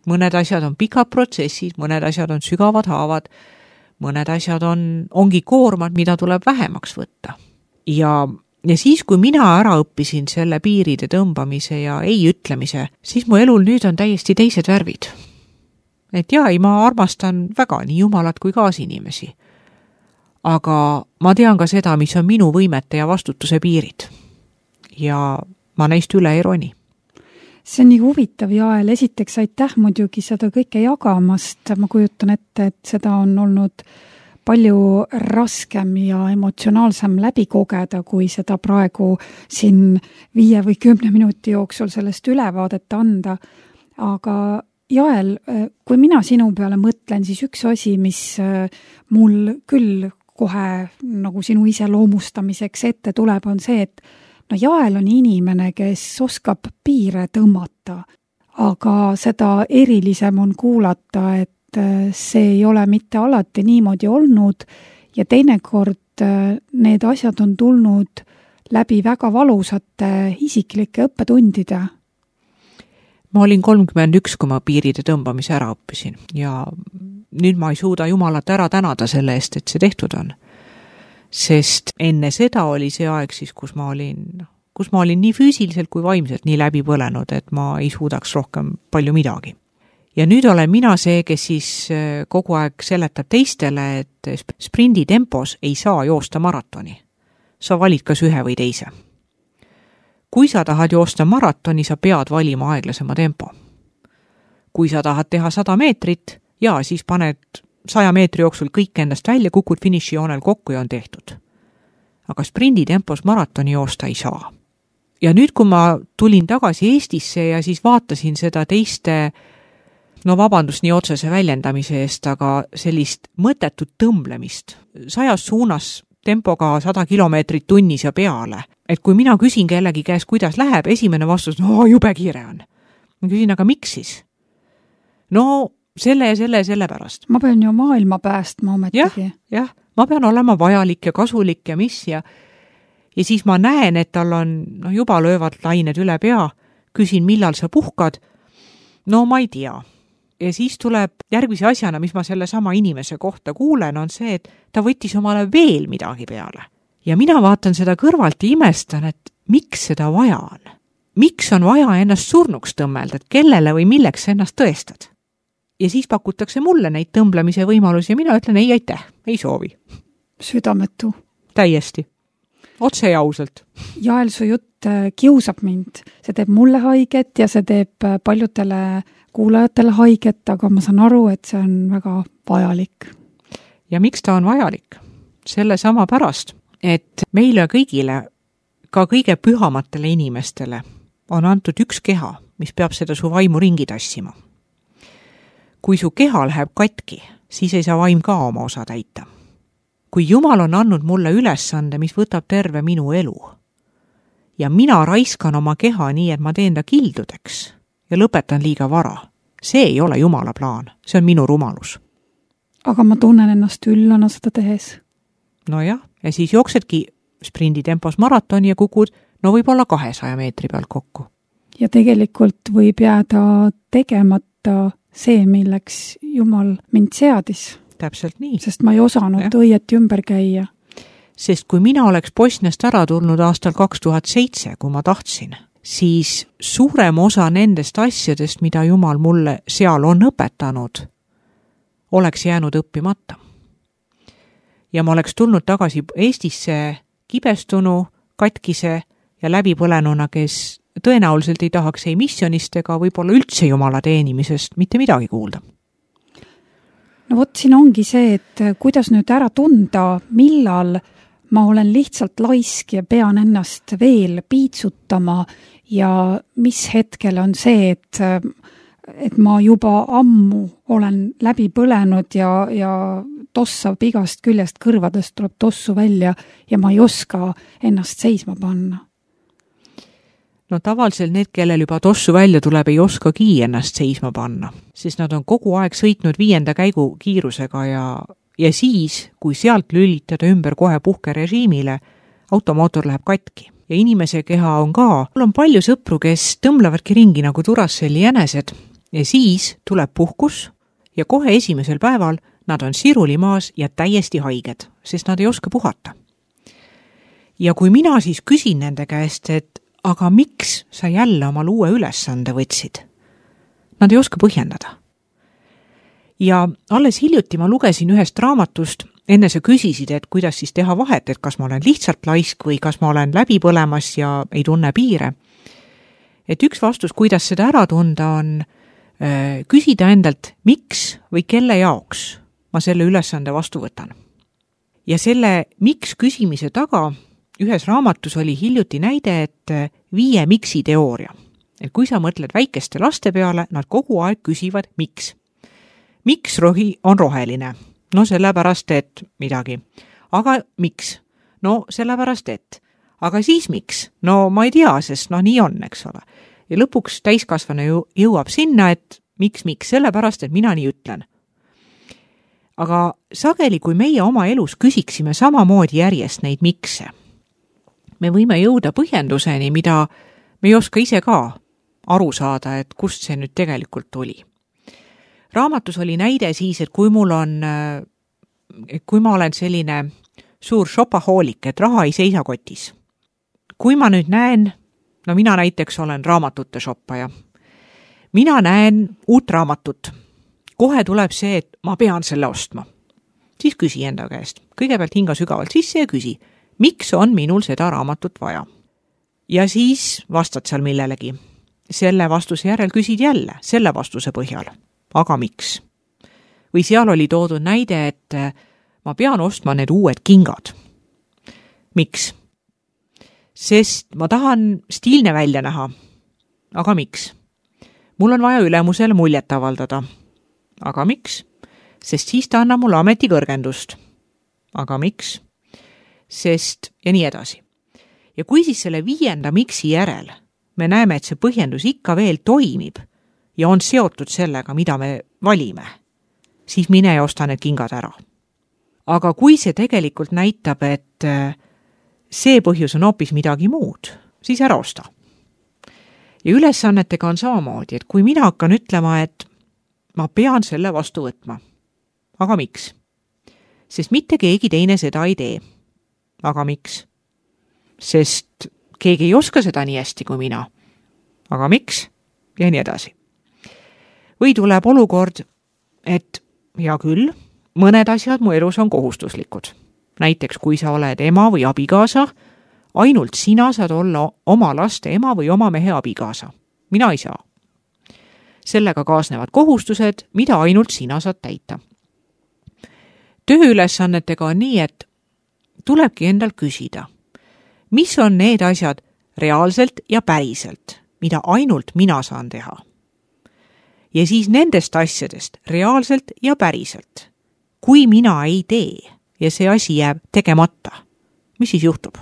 Mõned asjad on pikad protsessid, mõned asjad on sügavad haavad, mõned asjad on, ongi koormad, mida tuleb vähemaks võtta. Ja Ja siis, kui mina ära õppisin selle piiride tõmbamise ja ei ütlemise, siis mu elul nüüd on täiesti teised värvid. Et jaa, ei, ma armastan väga nii Jumalat kui kaasinimesi. Aga ma tean ka seda, mis on minu võimete ja vastutuse piirid. Ja ma neist üle ei roni. See on nii huvitav, Jael. Esiteks aitäh muidugi seda kõike jagamast. Ma kujutan ette, et seda on olnud palju raskem ja emotsionaalsem läbi kogeda, kui seda praegu siin viie või kümne minuti jooksul sellest ülevaadet anda. Aga Jael, kui mina sinu peale mõtlen, siis üks asi, mis mul küll kohe nagu sinu iseloomustamiseks ette tuleb, on see, et no Jael on inimene, kes oskab piire tõmmata, aga seda erilisem on kuulata, et see ei ole mitte alati niimoodi olnud ja teinekord need asjad on tulnud läbi väga valusate isiklike õppetundide. Ma olin kolmkümmend üks, kui ma piiride tõmbamise ära õppisin ja nüüd ma ei suuda Jumalat ära tänada selle eest, et see tehtud on. Sest enne seda oli see aeg siis, kus ma olin, kus ma olin nii füüsiliselt kui vaimselt nii läbi põlenud, et ma ei suudaks rohkem palju midagi. Ja nüüd olen mina see, kes siis kogu aeg seletab teistele, et sprindi tempos ei saa joosta maratoni. Sa valid kas ühe või teise. Kui sa tahad joosta maratoni, sa pead valima aeglasema tempo. Kui sa tahad teha sada meetrit, ja siis paned saja meetri jooksul kõik endast välja, kukud finišijoonel kokku ja on tehtud. Aga sprindi tempos maratoni joosta ei saa. Ja nüüd, kui ma tulin tagasi Eestisse ja siis vaatasin seda teiste no vabandust nii otsese väljendamise eest, aga sellist mõttetut tõmblemist, sajas suunas tempoga sada kilomeetrit tunnis ja peale. Et kui mina küsin kellegi käes, kuidas läheb, esimene vastus, no jube kiire on. Ma küsin, aga miks siis? No selle ja selle ja selle pärast. ma pean ju maailma päästma ometigi. jah, jah, ma pean olema vajalik ja kasulik ja mis ja ja siis ma näen, et tal on, noh, juba löövad lained üle pea, küsin, millal sa puhkad, no ma ei tea. Ja siis tuleb järgmise asjana, mis ma selle sama inimese kohta kuulen, on see, et ta võttis omale veel midagi peale. Ja mina vaatan seda kõrvalt ja imestan, et miks seda vaja on? Miks on vaja ennast surnuks tõmmelda, et kellele või milleks ennast tõestad? Ja siis pakutakse mulle neid tõmblemise võimalusi ja mina ütlen, ei aitäh, ei soovi. Südametu. Täiesti. Otse ja ausalt. Jael, su jutt kiusab mind. See teeb mulle haiget ja see teeb paljudele kuulajatele haiget, aga ma saan aru, et see on väga vajalik. Ja miks ta on vajalik? Selle sama pärast, et meile kõigile, ka kõige pühamatele inimestele, on antud üks keha, mis peab seda su vaimu ringi tassima. Kui su keha läheb katki, siis ei saa vaim ka oma osa täita. Kui Jumal on andnud mulle ülesande, mis võtab terve minu elu ja mina raiskan oma keha nii, et ma teen ta kildudeks ja lõpetan liiga vara, see ei ole Jumala plaan, see on minu rumalus. Aga ma tunnen ennast üllana seda tehes. No jah, ja siis jooksedki sprinditempos maratoni ja kukud, no võib-olla kahesaja meetri pealt kokku. Ja tegelikult võib jääda tegemata see, milleks Jumal mind seadis. Täpselt nii. Sest ma ei osanud ja. õieti ümber käia. Sest kui mina oleks Bosniast ära tulnud aastal kaks tuhat seitse, kui ma tahtsin, siis suurem osa nendest asjadest, mida Jumal mulle seal on õpetanud, oleks jäänud õppimata. Ja ma oleks tulnud tagasi Eestisse kibestunu, katkise ja läbipõlenuna, kes tõenäoliselt ei tahaks ei missionist ega võib-olla üldse Jumala teenimisest mitte midagi kuulda. No vot, siin ongi see, et kuidas nüüd ära tunda, millal ma olen lihtsalt laisk ja pean ennast veel piitsutama ja mis hetkel on see, et, et ma juba ammu olen läbi põlenud ja, ja tossab igast küljest kõrvadest tuleb tossu välja ja ma ei oska ennast seisma panna. No tavaliselt need, kellel juba tossu välja tuleb, ei oskagi ennast seisma panna, sest nad on kogu aeg sõitnud viienda käigu kiirusega ja, ja siis, kui sealt lülitada ümber kohe puhkerežiimile, automootor läheb katki. Ja inimese keha on ka, mul on palju sõpru, kes tõmblevadki ringi nagu Duracell'i jänesed ja siis tuleb puhkus ja kohe esimesel päeval nad on siruli maas ja täiesti haiged, sest nad ei oska puhata. Ja kui mina siis küsin nende käest, et aga miks sa jälle omal uue ülesande võtsid? Nad ei oska põhjendada. Ja alles hiljuti ma lugesin ühest raamatust, enne sa küsisid, et kuidas siis teha vahet, et kas ma olen lihtsalt laisk või kas ma olen läbi põlemas ja ei tunne piire. Et üks vastus, kuidas seda ära tunda, on äh, küsida endalt, miks või kelle jaoks ma selle ülesande vastu võtan. Ja selle miks küsimise taga ühes raamatus oli hiljuti näide, et viie miksi teooria. Et kui sa mõtled väikeste laste peale, nad kogu aeg küsivad miks. Miks rohi on roheline? No sellepärast, et midagi. Aga miks? No sellepärast, et. Aga siis miks? No ma ei tea, sest no nii on, eks ole. Ja lõpuks täiskasvane jõuab sinna, et miks, miks? Sellepärast, et mina nii ütlen. Aga sageli, kui meie oma elus küsiksime samamoodi järjest neid mikse, me võime jõuda põhjenduseni, mida me ei oska ise ka aru saada, et kust see nüüd tegelikult tuli. Raamatus oli näide siis, et kui mul on, kui ma olen selline suur shopahoolik, et raha ei seisa kotis. Kui ma nüüd näen, no mina näiteks olen raamatute shoppaja, mina näen uut raamatut, kohe tuleb see, et ma pean selle ostma. Siis küsi enda käest, kõigepealt hinga sügavalt sisse ja küsi, miks on minul seda raamatut vaja? Ja siis vastad seal millelegi. Selle vastuse järel küsid jälle, selle vastuse põhjal. Aga miks? Või seal oli toodud näide, et ma pean ostma need uued kingad. Miks? Sest ma tahan stiilne välja näha. Aga miks? Mul on vaja ülemusele muljet avaldada. Aga miks? Sest siis ta annab mulle ametikõrgendust. Aga miks? Sest ja nii edasi. Ja kui siis selle viienda miksi järel me näeme, et see põhjendus ikka veel toimib ja on seotud sellega, mida me valime, siis mine ja osta need kingad ära. Aga kui see tegelikult näitab, et see põhjus on hoopis midagi muud, siis ära osta. Ja ülesannetega on samamoodi, et kui mina hakkan ütlema, et ma pean selle vastu võtma. Aga miks? Sest mitte keegi teine seda ei tee. Aga miks? Sest keegi ei oska seda nii hästi kui mina. Aga miks? Ja nii edasi. Või tuleb olukord, et hea küll, mõned asjad mu elus on kohustuslikud. Näiteks, kui sa oled ema või abikaasa, ainult sina saad olla oma laste ema või oma mehe abikaasa. Mina ei saa. Sellega kaasnevad kohustused, mida ainult sina saad täita. Tööülesannetega on nii, et tulebki endal küsida, mis on need asjad reaalselt ja päriselt, mida ainult mina saan teha. Ja siis nendest asjadest reaalselt ja päriselt, kui mina ei tee ja see asi jääb tegemata, mis siis juhtub?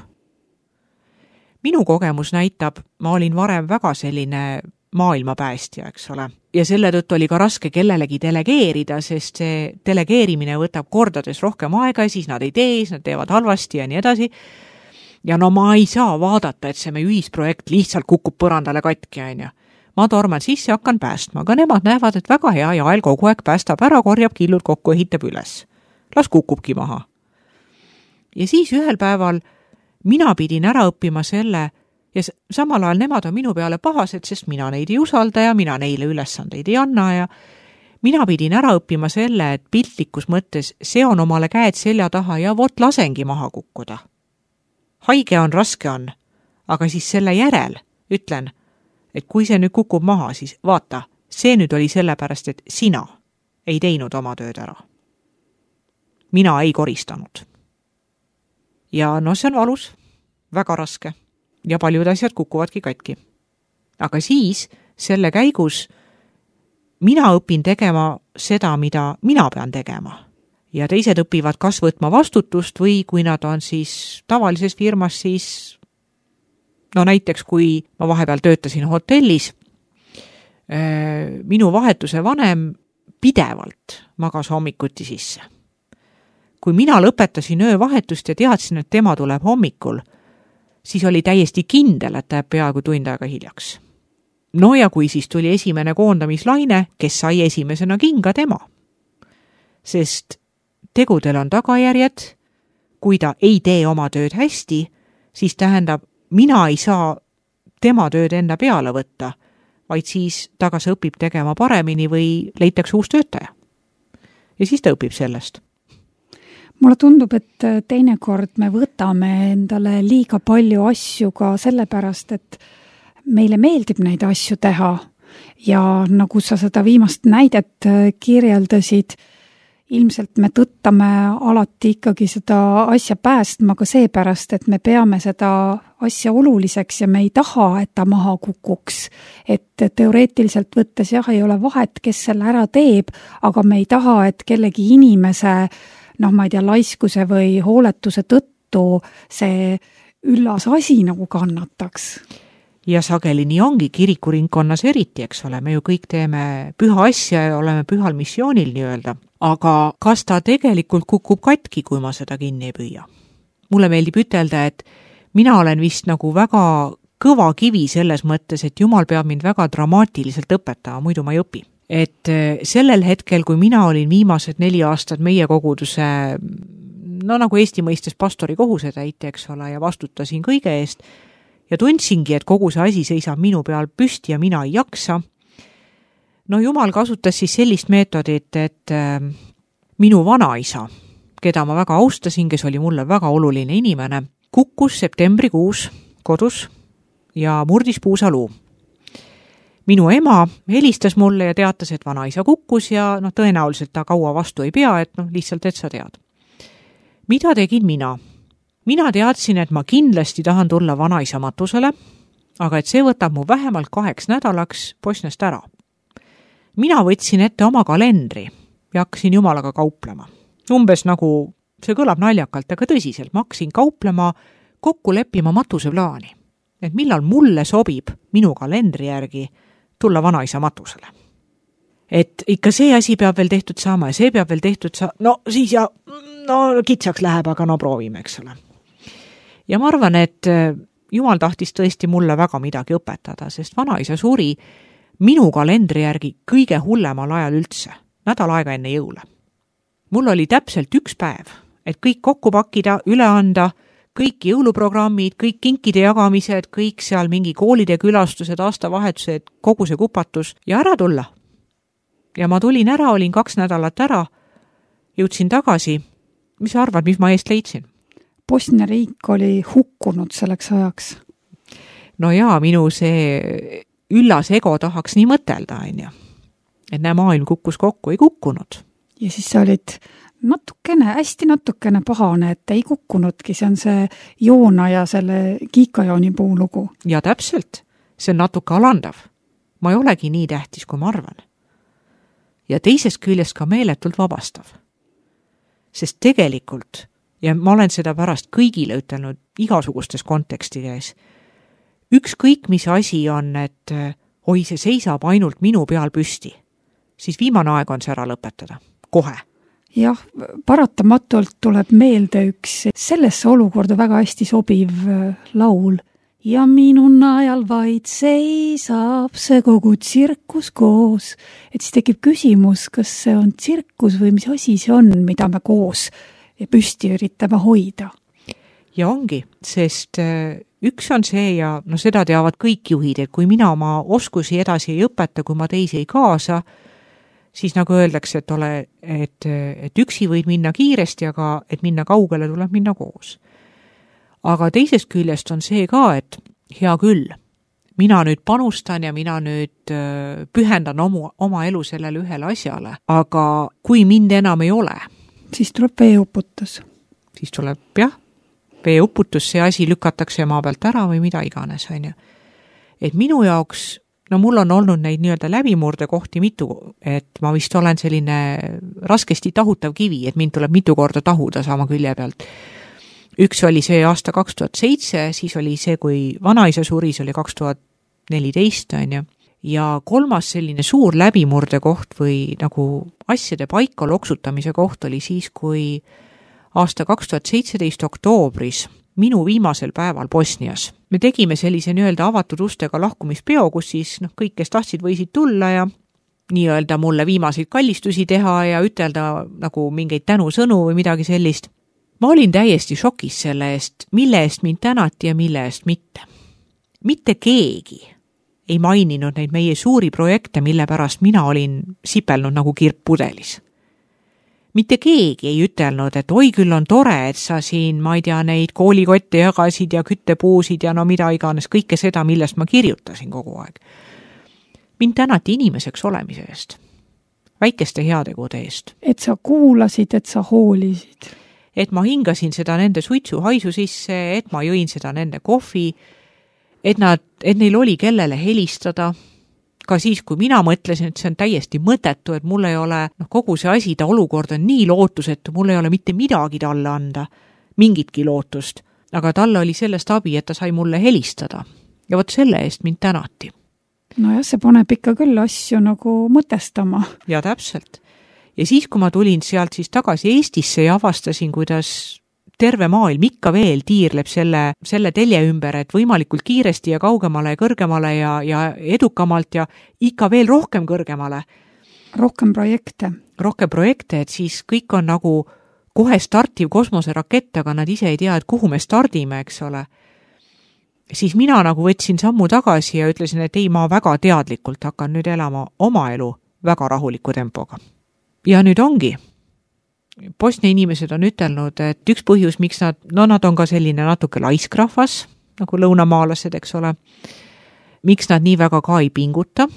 Minu kogemus näitab, ma olin varem väga selline maailmapäästja, eks ole. Ja selle tõttu oli ka raske kellelegi delegeerida, sest see delegeerimine võtab kordades rohkem aega ja siis nad ei tee, siis nad teevad halvasti ja nii edasi. Ja no ma ei saa vaadata, et see meie ühisprojekt lihtsalt kukub põrandale katki, on ju. Ma torman sisse, hakkan päästma, aga nemad näevad, et väga hea Jael kogu aeg päästab ära, korjab killud kokku, ehitab üles. Las kukubki maha. Ja siis ühel päeval mina pidin ära õppima selle, ja samal ajal nemad on minu peale pahased, sest mina neid ei usalda ja mina neile ülesandeid ei anna ja mina pidin ära õppima selle, et piltlikus mõttes seon omale käed selja taha ja vot lasengi maha kukkuda. Haige on, raske on, aga siis selle järel ütlen, et kui see nüüd kukub maha, siis vaata, see nüüd oli sellepärast, et sina ei teinud oma tööd ära. Mina ei koristanud. Ja no see on valus, väga raske. Ja paljud asjad kukuvadki katki. Aga siis selle käigus mina õpin tegema seda, mida mina pean tegema. Ja teised õpivad kas võtma vastutust või kui nad on siis tavalises firmas, siis no näiteks kui ma vahepeal töötasin hotellis, minu vahetuse vanem pidevalt magas hommikuti sisse. Kui mina lõpetasin öövahetust ja teadsin, et tema tuleb hommikul, siis oli täiesti kindel, et ta jääb peaaegu tund aega hiljaks. No ja kui siis tuli esimene koondamislaine, kes sai esimesena kinga tema. Sest tegudel on tagajärjed, kui ta ei tee oma tööd hästi, siis tähendab, mina ei saa tema tööd enda peale võtta, vaid siis ta kas õpib tegema paremini või leitakse uus töötaja. Ja siis ta õpib sellest. Mulle tundub, et teinekord me võtame endale liiga palju asju ka sellepärast, et meile meeldib neid asju teha ja nagu sa seda viimast näidet kirjeldasid, ilmselt me tõttame alati ikkagi seda asja päästma ka seepärast, et me peame seda asja oluliseks ja me ei taha, et ta maha kukuks. Et teoreetiliselt võttes jah, ei ole vahet, kes selle ära teeb, aga me ei taha, et kellegi inimese noh, ma ei tea, laiskuse või hooletuse tõttu see üllas asi nagu kannataks. Ja sageli nii ongi kirikuringkonnas eriti, eks ole, me ju kõik teeme püha asja ja oleme pühal missioonil nii-öelda. Aga kas ta tegelikult kukub katki, kui ma seda kinni ei püüa? Mulle meeldib ütelda, et mina olen vist nagu väga kõva kivi selles mõttes, et Jumal peab mind väga dramaatiliselt õpetama, muidu ma ei õpi. Et sellel hetkel, kui mina olin viimased neli aastat meie koguduse, no nagu Eesti mõistes pastori kohusetäitja, eks ole, ja vastutasin kõige eest ja tundsingi, et kogu see asi seisab minu peal püsti ja mina ei jaksa. No Jumal kasutas siis sellist meetodit, et minu vanaisa, keda ma väga austasin, kes oli mulle väga oluline inimene, kukkus septembrikuus kodus ja murdis puusaluu. Minu ema helistas mulle ja teatas, et vanaisa kukkus ja no, tõenäoliselt ta kaua vastu ei pea, et no, lihtsalt, et sa tead. Mida tegin mina? Mina teadsin, et ma kindlasti tahan tulla vanaisa matusele, aga et see võtab mu vähemalt kaheks nädalaks Bosniast ära. Mina võtsin ette oma kalendri ja hakkasin Jumalaga kauplema. Umbes nagu, see kõlab naljakalt, aga tõsiselt, ma hakkasin kauplema, kokku leppima matuse plaani, et millal mulle sobib minu kalendri järgi tulla vanaisa matusele. et ikka see asi peab veel tehtud saama ja see peab veel tehtud saama, no siis ja no kitsaks läheb, aga no proovime, eks ole. Ja ma arvan, et Jumal tahtis tõesti mulle väga midagi õpetada, sest vanaisa suri minu kalendri järgi kõige hullemal ajal üldse, nädal aega enne jõule. Mul oli täpselt üks päev, et kõik kokku pakkida, üle anda, kõik jõuluprogrammid, kõik kinkide jagamised, kõik seal mingi koolide külastused, aastavahetused, kogu see kupatus ja ära tulla. Ja ma tulin ära, olin kaks nädalat ära, jõudsin tagasi. Mis sa arvad, mis ma eest leidsin? Bosnia riik oli hukkunud selleks ajaks. No jaa, minu see üllas ego tahaks nii mõtelda, on ju. Et näe, maailm kukkus kokku, ei kukkunud. Ja siis sa olid natukene, hästi natukene pahane, et ei kukkunudki. See on see Joona ja selle kiikajooni puulugu. Ja täpselt. See on natuke alandav. Ma ei olegi nii tähtis, kui ma arvan. Ja teisest küljest ka meeletult vabastav. Sest tegelikult, ja ma olen seda pärast kõigile ütelnud igasugustes kontekstides, ükskõik mis asi on, et oi, see seisab ainult minu peal püsti, siis viimane aeg on see ära lõpetada. Kohe. Jah, paratamatult tuleb meelde üks sellesse olukorda väga hästi sobiv laul. Ja minu najal vaid seisab see kogu tsirkus koos. Et siis tekib küsimus, kas see on tsirkus või mis asi see on, mida me koos püsti üritame hoida. Ja ongi, sest üks on see ja no seda teavad kõik juhid, et kui mina oma oskusi edasi ei õpeta, kui ma teisi ei kaasa, siis nagu öeldakse, et, ole, et, et üksi võid minna kiiresti, aga et minna kaugele tuleb minna koos. Aga teisest küljest on see ka, et hea küll, mina nüüd panustan ja mina nüüd pühendan oma, oma elu sellele ühele asjale, aga kui mind enam ei ole, siis tuleb veeuputus. Siis tuleb, jah, veeuputus, see asi lükatakse maa pealt ära või mida iganes, on ju. Et minu jaoks, no mul on olnud neid nii-öelda läbimurde kohti mitu, et ma vist olen selline raskesti tahutav kivi, et mind tuleb mitu korda tahuda sama külje pealt. Üks oli see aasta kaks tuhat seitse, siis oli see, kui vanaisa suris oli kaks tuhat neliteist, on ju. Ja kolmas selline suur läbimurde koht või nagu asjade paika loksutamise koht oli siis, kui aasta kaks tuhat seitseteist oktoobris minu viimasel päeval Bosnias. Me tegime sellise nii-öelda avatud ustega lahkumispeo, kus siis no, kõik, kes tahtsid, võisid tulla ja nii-öelda mulle viimaseid kallistusi teha ja ütelda nagu mingeid tänusõnu või midagi sellist. Ma olin täiesti šokis selle eest, mille eest mind tänati ja mille eest mitte. Mitte keegi ei maininud neid meie suuri projekte, mille pärast mina olin sipelnud nagu kirp pudelis. Mitte keegi ei ütelnud, et oi küll on tore, et sa siin, ma ei tea, neid koolikotte jagasid ja küttepuusid ja no mida iganes, kõike seda, millest ma kirjutasin kogu aeg. Mind tänati inimeseks olemise eest, väikeste heategude eest. Et sa kuulasid, et sa hoolisid. Et ma hingasin seda nende suitsu haisu sisse, et ma jõin seda nende kohvi, et, nad, et neil oli kellele helistada, ka siis, kui mina mõtlesin, et see on täiesti mõtetu, et mul ei ole, noh, kogu see asi, ta olukord on nii lootusetu, mul ei ole mitte midagi talle anda, mingitki lootust, aga talle oli sellest abi, et ta sai mulle helistada ja vot selle eest mind tänati. No jah, see paneb ikka küll asju nagu mõtestama. Ja täpselt. Ja siis, kui ma tulin sealt siis tagasi Eestisse ja avastasin, kuidas terve maailm ikka veel tiirleb selle, selle telje ümber, et võimalikult kiiresti ja kaugemale ja kõrgemale ja, ja edukamalt ja ikka veel rohkem kõrgemale. Rohkem projekte. Rohkem projekte, et siis kõik on nagu kohe startiv kosmoserakett, aga nad ise ei tea, et kuhu me stardime, eks ole. Siis mina nagu võtsin sammu tagasi ja ütlesin, et ei, ma väga teadlikult hakkan nüüd elama oma elu väga rahuliku tempoga. Ja nüüd ongi. Bosnia inimesed on ütelnud, et üks põhjus, miks nad, no nad on ka selline natuke laiskrahvas, nagu lõunamaalased, eks ole, miks nad nii väga ka ei pinguta.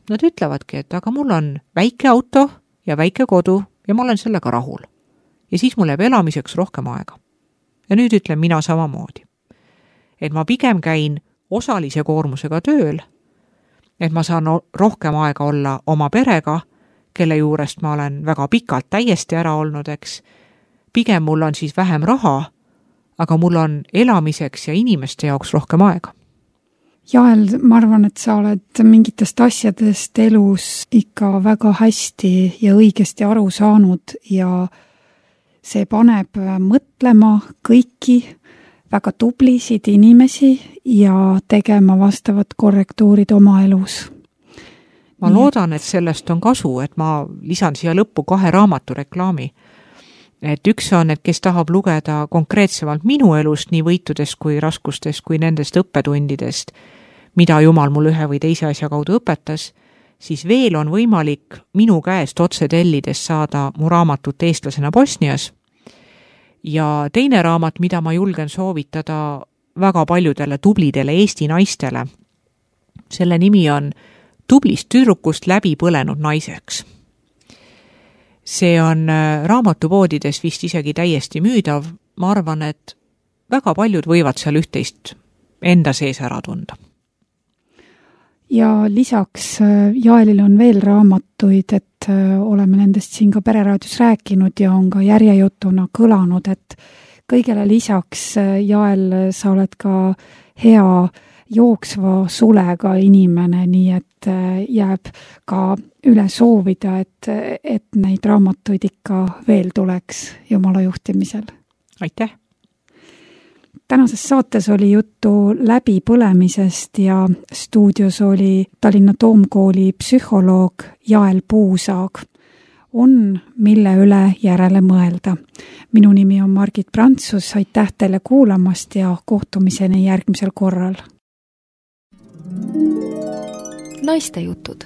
Nad ütlevadki, et aga mul on väike auto ja väike kodu ja ma olen sellega rahul. Ja siis mul jääb elamiseks rohkem aega. Ja nüüd ütlen mina samamoodi. Et ma pigem käin osalise koormusega tööl, et ma saan rohkem aega olla oma perega, kelle juurest ma olen väga pikalt täiesti ära olnud, eks. Pigem mul on siis vähem raha, aga mul on elamiseks ja inimeste jaoks rohkem aega. Jael, ma arvan, et sa oled mingitest asjadest elus ikka väga hästi ja õigesti aru saanud ja see paneb mõtlema kõiki väga tublisid inimesi ja tegema vastavad korrektuurid oma elus. Ma loodan, et sellest on kasu, et ma lisan siia lõppu kahe raamatu reklaami. Et üks on, et kes tahab lugeda konkreetsemalt minu elust nii võitudest kui raskustest kui nendest õppetundidest, mida Jumal mul ühe või teise asja kaudu õpetas, siis veel on võimalik minu käest otse tellides saada mu raamatut Eestlasena Bosnias. Ja teine raamat, mida ma julgen soovitada väga paljudele tublidele Eesti naistele, selle nimi on Tublist tüdrukust läbi põlenud naiseks. See on raamatupoodides vist isegi täiesti müüdav. Ma arvan, et väga paljud võivad seal üht-teist enda sees ära tunda. Ja lisaks Jaelil on veel raamatuid, et oleme nendest siin ka Pereraadios rääkinud ja on ka järjejutuna kõlanud, et kõigele lisaks Jael, sa oled ka hea jooksva sulega inimene, nii et jääb ka üle soovida, et, et neid raamatuid ikka veel tuleks Jumala juhtimisel. Aitäh! Tänases saates oli juttu läbipõlemisest ja stuudios oli Tallinna Toomkooli psühholoog Jael Puusaag. On, mille üle järele mõelda. Minu nimi on Margit Prantsus, aitäh teile kuulamast ja kohtumiseni järgmisel korral. Naiste jutud.